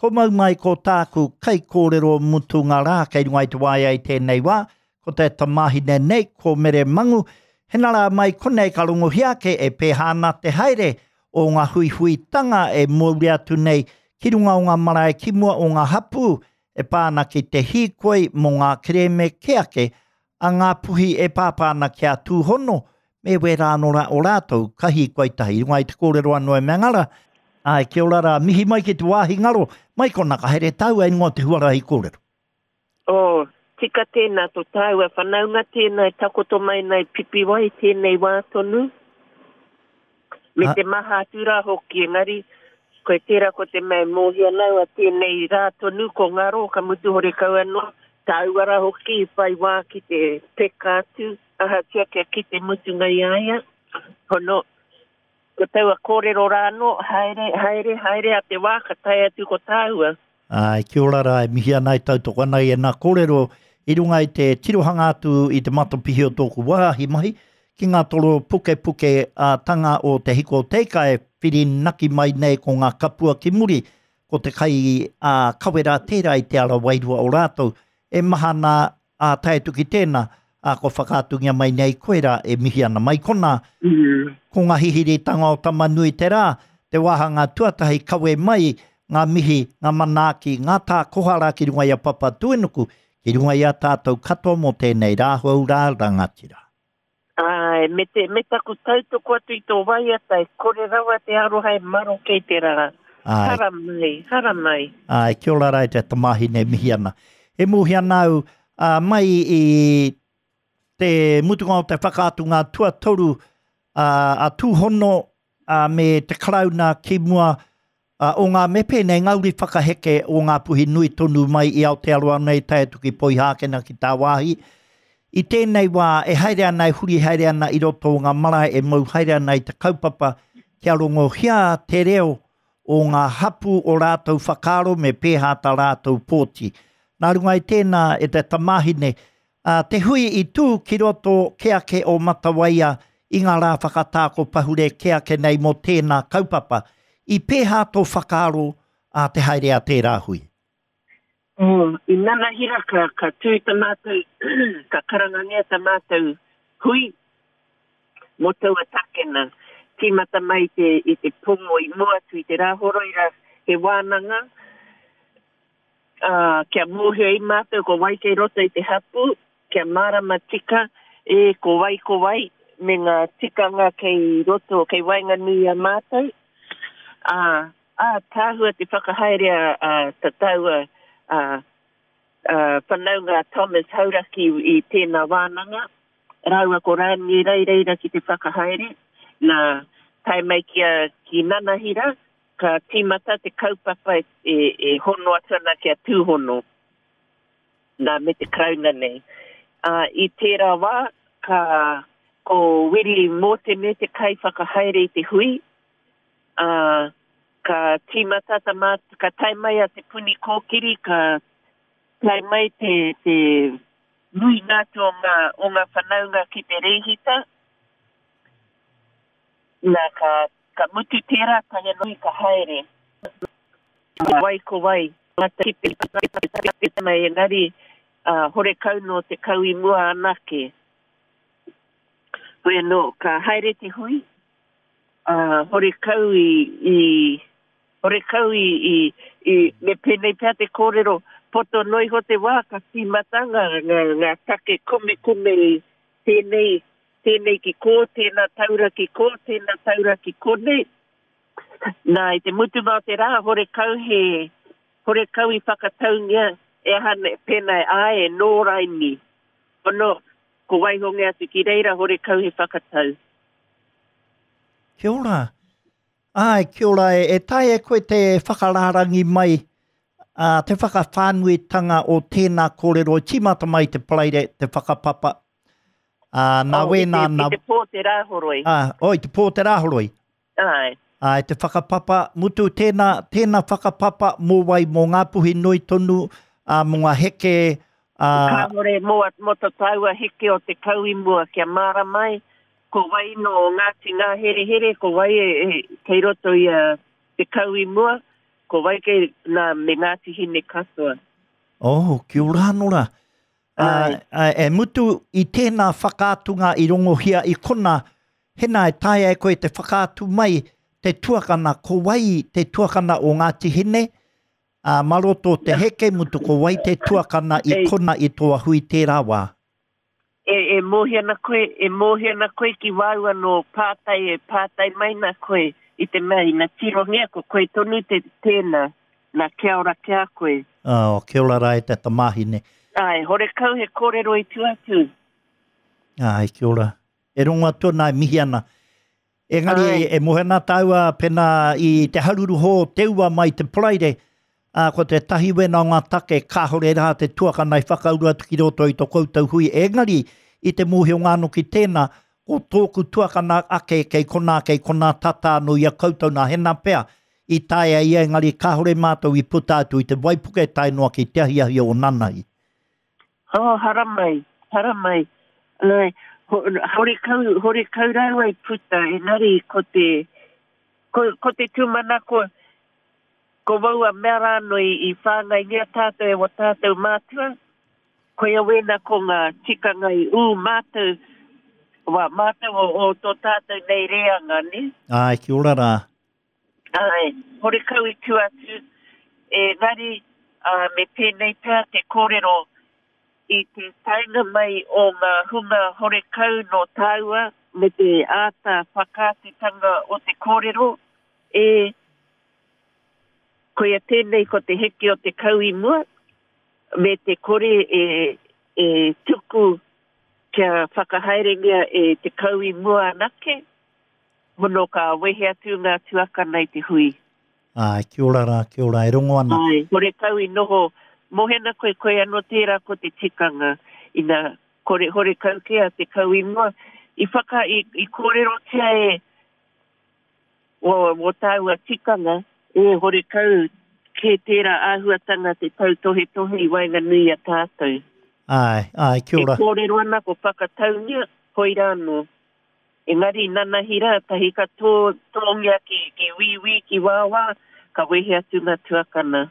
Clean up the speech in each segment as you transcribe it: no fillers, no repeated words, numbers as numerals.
Ko mau mai ko tāku kaikōrero mutunga rā kei runga i te waea i tēnei wā, ko te tamāhine nei, ko Mere Mangu. Hena rā mai konei ka rongohia ake e pēhā ana te haere o ngā huihuitanga e mauria atu nei ki runga o ngā marae ki mua o ngā hapū e pā ana ki te hīkoi mō ngā kerēme kē ake a Ngāpuhi e pāpā ana ki a Tūhono me wērā anō rā o rātou ka hīkoi tahi. I runga i te kōrero anō e Mangara, āe, kia ora rā, mihi mai ki te wāhi ngaro, mai kona ka haere tāua i runga o te huarahi kōrero. Oh, tika tēnā, to tāua whanaunga tēnā e takoto mai nei Pipiwai tēnei wā tonu. Me te maha atu rā hoki, engari, koe tērā ko te mea e mōhio ana au a tēnei rā tonu ko ngaro, ka mutu horekau anō, tāua rā hoki i whai wā ki te peka atu, ahatia kia kite mutunga i a ia. Hono, ko taua kōrero rā anō, haere, haere, haere a te wā ka tae atu ko tāua. Āe, kia ora rā, e mihi ana, e tautoko ana i ēnā kōrero i runga i te tirohanga atu i te matapihi o tōku wāhi mahi ki ngā toro pukepuke ā tanga o Te Hiko o Te Ika e whirinaki mai nei ko ngā kapua ki muri, ko te kai ā kawe rā tērā i te ara wairua o rātou e maha ana ā, tae atu ki tēnā, ā, kua whakaatungia mai nei koe rā e mihi ana. Mai konā, ko ngā hihiritanga o Tama-nui-te-rā, te wāhanga tuatahi kawe mai ngā mihi, ngā manaaki, ngā tā koha rā ki runga i a Papatūānuku, ki runga i a tātou katoa mō tēnei rā hou rā rangatira. Āe, me te, me taku tautoko atu i tō waiata, e kore rawa te aroha e maroke i te rā. Āe. Haramai, haramai. Āe, kia ora rā e te tamāhine e mihi ana. E mōhio ana au, ā, mai i te mutunga o te whakaatunga tuatoru ā, a Tūhono ā, me te Karauna ki mua ā, o ngā me pēnei ngā uri whakaheke o Ngāpuhi nui tonu mai i Aotearoa nei tae atu ki Poihākena ki tāwāhi. I tēnei wā e haere ana, e huri haere ana i roto o ngā marae e mau haere ana i te kaupapa kia rongohia te reo o ngā hapū o rātou whakaaro me pēhā tā rātou pōti. Nā runga i tēnā e te tamāhine, Ā, te hui i tū ki roto kē ake o Matawaia i ngā rā whakatā ko pahure kē ake nei mō tēnā kaupapa. I pēhā tō whakaaro ā te haere a tērā hui? Oh, i nanahira ka, ka tū ta mātou, ka karangangia ta mātou hui mō taua take nā. Tīmata mai i te, i te pō i mua atu i te Rāhoroi rā, he wānanga, ā, kia mōhio ai mātou ko wai kei roto i te hapū, kia mārama tika, e, ko wai ko wai, me ngā tikanga kei roto, kei waenganui i a mātou. Ā, ā, tāhua te whakahaere a, a ta tāua, a, a whanaunga a Thomas Hauraki i tēnā wānanga, rāua ko Rānie Reireira ki te whakahaere, nā, tae mai ki a, ki Nanahira, Ka tīmata te kaupapa e hono atu ana ki a Tūhono, nā, me te Karauna nei. Ā, i tērā wā, ka, ko Wiri Mōtene te kaiwhakahaere i te hui, ā, ka tīmata ta mā, ka tae mai a Te Puni Kōkiri, ka tae mai te, te nuinga atu o ngā, o ngā whanaunga ki te rēhita, nā, ka Ka mutu tērā tae noa ka haere. Ko wai ko wai. Mai engari horekau nō te kau i mua anake. Hoi anō, ka haere te hui, horekau i, horekau i, i, me pēnei pea te kōrero, poto noa iho te wā ka tīmata ngā, ngā, ngā take kumekume i tēnei Tēnei ki kō, tēnā taura ki kō, tēnā taura ki konei. Nā, i te mutunga o te rā, horekau he, horekau i whakataungia e aha nei, pēnā e āe, e nō raini. Ono, ko waihongia atu ki reira, horekau he whakatau. Kia ora. Āe, kia ora e, e taea e koe te whakarārangi mai, ā, te whakawhānuitanga o tēnā kōrero i tīmata mai i te Paraire, te whakapapa, ā, nā Oh, i wēnā, te, nā... i te pō te Rāhoroi. Ā, oh, i te pō te Rāhoroi. Āe. Āe, te whakapapa, mutu tēnā, tēnā whakapapa mō wai, mō Ngāpuhi nui tonu, ā, mō ngā heke, ā... Kāhore mō, mō to tāua heke o te kau i mua, kia mārama ai, Ko wai nō Ngāti Ngāherehere, ko wai e, kei roto i a Te Kau i mua. Ko wai kei nā me Ngāti Hine katoa. Oh, kia ora anō rā. Āe. E mutu i tēnā whakaatunga i rongohia i kona, hena e taea e koe te whakaatu mai te tuakana, ko wai te tuakana o Ngāti Hine, ā, mā roto o te heke mutu ko wai te tuakana i kona i tō hui tērā wā? E, e mōhio ana koe, e mōhio ana koe ki wāu anō pātai e pātai mai nā koe i te mea ina tirohia ko koe tonu te tēnā, nā kia ora ki a koe. Oh, kia ora rā e te tamāhine. Āe, horekau he kōrero i tua atu. Āe, kia ora. E rongo atu ana, e mihi ana. Engari Āe. e moe ana tāua pēnā i te haruru hō o te ua mai te Paraire, ā, ko te tahi wena o ngā take kāore rā te tuakana i whakauru atu ki roto i to koutou hui, engari i te mōhio anō ki tēnā, ko tōku tuakana ake kei konā, kei konā tata anō i a koutou nā hena pea i taea ia engari kāore mātou i puta atu i te waipuke tae noa ki te ahiahi o nanahi. Oh, haramai, haramai. Ai, ho, horekau, horekau rāua i puta, engari ko te, ko, ko te tūmanako, ko waua mea rānō i, i whāngaingia tātou e wā tātou mātua, koia wēnā ko ngā tikanga i ū mātou, wā mātou o, o tō tātou nei reanga, nē? Āe, kia ora rā. Āe, horekau i tua atu, engari me pēnei pea te kōrero i te taenga mai o ngā hunga horekau nō tāua me te āta whakaatutanga o te kōrero, e, koia tēnei ko te heke o te kau i mua, me te kore e, e tuku kia whakahaerengia e te kau i mua anake. Mono ka wehe atu ngā tuakana i te hui. Āe, kia ora rā, kia ora, e rongo ana. Āe, horekau i noho, mohena koe, koe anō tērā ko te tikanga, ina kore, horekau kē a te kau i mua, i whaka, i, i kōrerotia e, wō, wō tāua tikanga, e horekau kē tērā āhuatanga te tautohetohe i waenganui i a tātou. Āe, āe, kia ora. E kōrero ana ko whakataungia, koirā anō. Engari nanahi rā, tahi ka tō, tōngia ki, ki wīwī, ki wāwā, ka wehe atu ngā tuakana.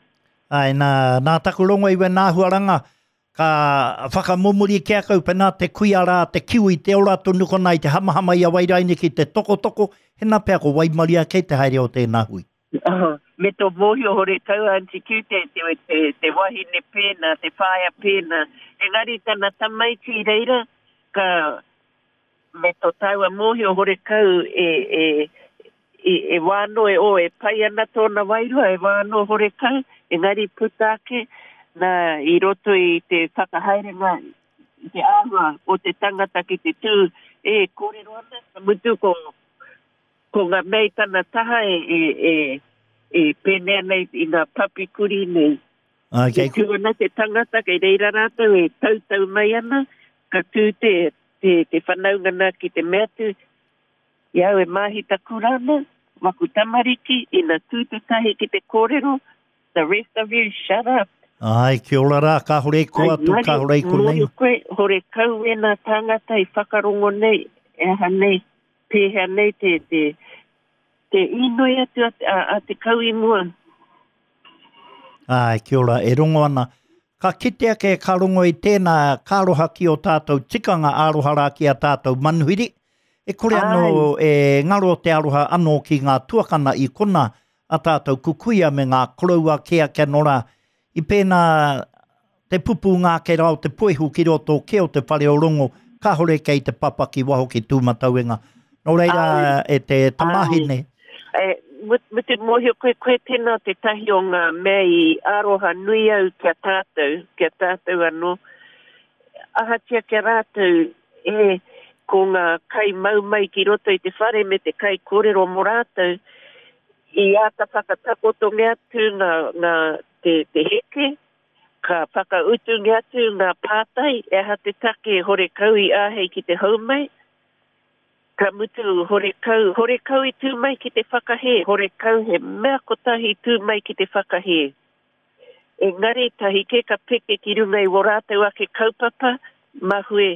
Āe, nā, nā taku rongo i wena āhuaranga, ka whakamomori ki a kau, pēnā te kuia rā, te kiwi, te ora tonu kona i te hamahama i a Wairaini ki te tokotoko, hena pea ko waimaria kei te haere o tēnā hui. Oh, me tō mōhio horekau Aunty Q te, te, te, te wahine pēnā, te whaea pēnā. Engari tana tamaiti i reira, ka, Me to tāua mōhio horekau e, e, e, e wā anō e, oh, e pai ana tōna wairua, e wā anō horekau, engari puta ake, nā, i roto i te whakahaerenga, i te āhua o te tangata ki te tū, e kōrero ana, ka mutu ko, ko ngā mea i tana taha e, e, e, e pēnei ana i, i ngā papi kurī nei. Ā, kei... E tū ana te tangata, kei reira rātou e tautau mai ana, ka tū te, te, te whanaunga nā ki te mea atu, i au e māhita kura ana, waku tamariki, ina tū tētahi ki te kōrero, the rest of you shut up. Āe, kia ora rā, kāore i kō atu, kāore i konei. Mōhio koe, horekau wēnā tāngata i whakarongo nei, e aha nei, pēhea nei te, te, te inoi atu a, a, a te kau i mua. Āe, kia ora, e rongo ana. Ka kite ake, ka rongo i tēnā, ka aroha ki ō tātou tikanga, aroha rā ki a tātou manuhiri. E kore anō e ngaro te aroha anō ki ngā tuakana i konā, a tātou kukuia me ngā koroua kē ake anō rā. I pēnā te pupūnga ake rā o te puehu ki roto kē o te whare o Rongo, kāore kei te papa ki waho ki Tūmatauenga. Nō reira, e te tamāhine. E, me te mōhio koe, koe tēnā tētahi o ngā mea i aroha nui au ki a tātou, ki a tātou anō. Ahatia ki a rātou, e, ko ngā kai mau mai ki roto i te whare me te kai kōrero mō rātou, i āta whakatakotongia atu ngā, ngā, te, te heke, ka whakautungia atu ngā pātai, e aha te take horekau i āhei ki te hou mai, Ka mutu, horekau, horekau i tū mai ki te whakahē, horekau he mea kotahi i tū mai ki te whakahē. Engari, tahi kē ka peke ki runga i wō rātou ake kaupapa, mahue,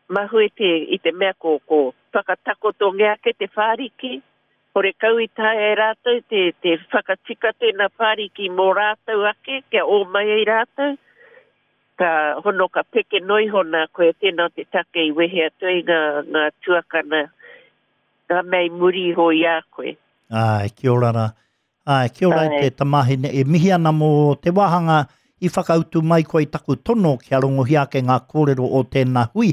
mahue te, i te mea ko, ko whakatakotongia ake te whāriki. Horekau i taea e rātou te, te whakatika tēnā whāriki mō rātou ake, kia ō mai ai rātou. Ka hono ka peke noa iho nā koia tēnā o te take i wehe atu ai ngā, ngā tuakana, ngā mea i muri iho i a koe. Āe, kia ora rā. Āe, kia ora e te tamāhine. E mihi ana mō te wāhanga i whakautu mai koe i taku tono kia rongohia ake ngā kōrero o tēnā hui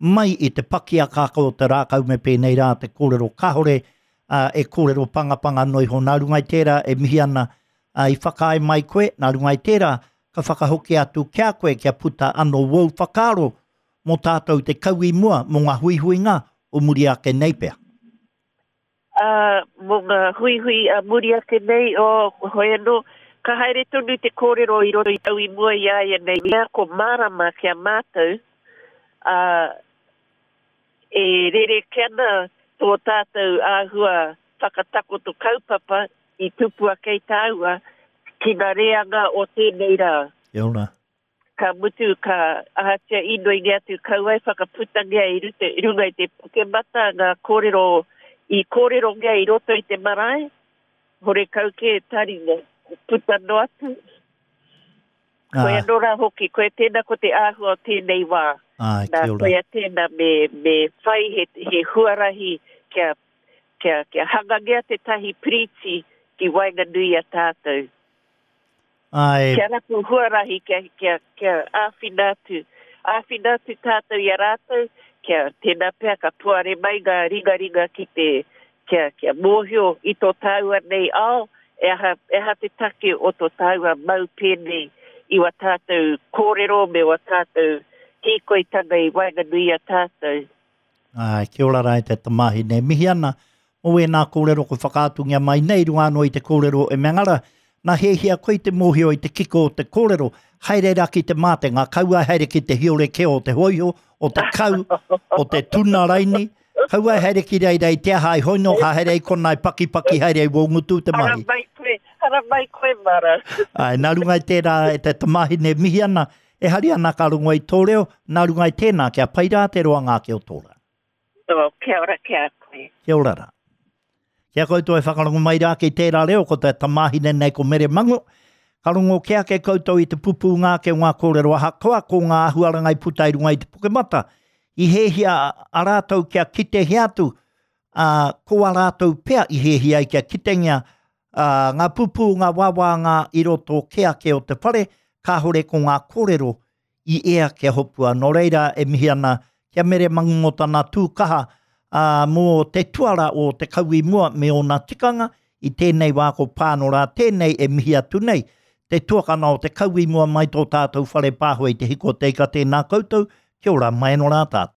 mai i te pakiakaaka o te rākau me pēnei rā te kōrero kāore e kōrero pangapanga noa iho. Nā runga i tērā e mihi ana i whakaae mai koe, nā runga i tērā ka whakahoki atu ki a koe kia puta anō wōu whakaaro mō tātou te kau i mua mō ngā huihuinga o muri ake nei pea. Ā, mō ngā huihui a muri ake nei, ō, hoi anō, ka haere tonu te kōrero i roto i tau i mua i a ia nei mea ko mārama ki a mātou, ā, e rerekē ana tō tātou āhua whakatakoto kaupapa i tupu ake i tāua ki ngā reanga o tēnei rā. Kia ora. Ka mutu, ka ahatia inoingia atu kaua e whakaputangia i ruta, i runga i te Puke-mata ngā kōrero i kōrerongia i roto i te marae, horekau kē taringa, puta noa atu. Ah. Koia anō rā hoki, koia tēnā ko te āhua o tēnei wā. Ah, Nā, koia tēnā me, me whai he, he huarahi kia, kia, kia hangangia tētahi piriti ki waenganui i a tātou. Āe. Kia rapu huarahi kia, kia, kia āwhina atu, āwhina atu tātou i a rātou, kia tēnā pea ka puare mai ngā ringaringa ki te, kia, kia mōhio i tō tāua nei ao, e aha, e aha te take o tō tāua mau pēnei i wā tātou kōrero me wā tātou hīkoitanga i waenganui i a tātou. Āe, kia ora rā e te tamāhine. E mihi ana mō ēnā kōrero kua whakaatungia mai nei runga anō i te kōrero e mea ngara, nā hiahia koe i te mōhio i te kiko o te kōrero, haere rā ki te mātenga, kaua e haere ki te hiore kē o te hōiho, o te kau, o te tuna raini, kaua e haere ki reira i te aha i hoino, ka haere i konā i pakipaki haere i wō ngutu te mahi. Haramai koe, haramai koe Mara. Āe, nā runga i tērā e te tamāhine e mihi ana, E hari ana ka rongo i tō reo, nā runga i tēnā, kia pai rā te roanga ake o tō rā. Oh, kia ora ki a koe. Kia ora rā. Ki a koutou e whakarongo mai rā ki tērā reo, ko te tamāhine nei ko Mere Mango, ka rongo kē ake koutou i te pupūnga ake o ngā kōrero ahakoa ko ngā āhuaranga i puta i runga i te Puke-mata, i hēhia a rātou kia kitehia atu, ā, ko a rātou pea i hēhia ai kia kitengia Ā, ngā pupū, ngā wāwāngā i roto kē ake o te whare, kāhore ko ngā kōrero i ea kia hopua. Nō reira, e mihi ana ki a Mere Mangu mō tana tū kaha, ā, mō te tuara o te kau i mua me ōna tikanga, i tēnei wā ko Pānora tēnei e mihi atu nei, te tuakana o te kau i mua mai tō tātou whare pāho i Te Hiko o Te Ika tēnā koutou, kia ora mai anō rā tātou.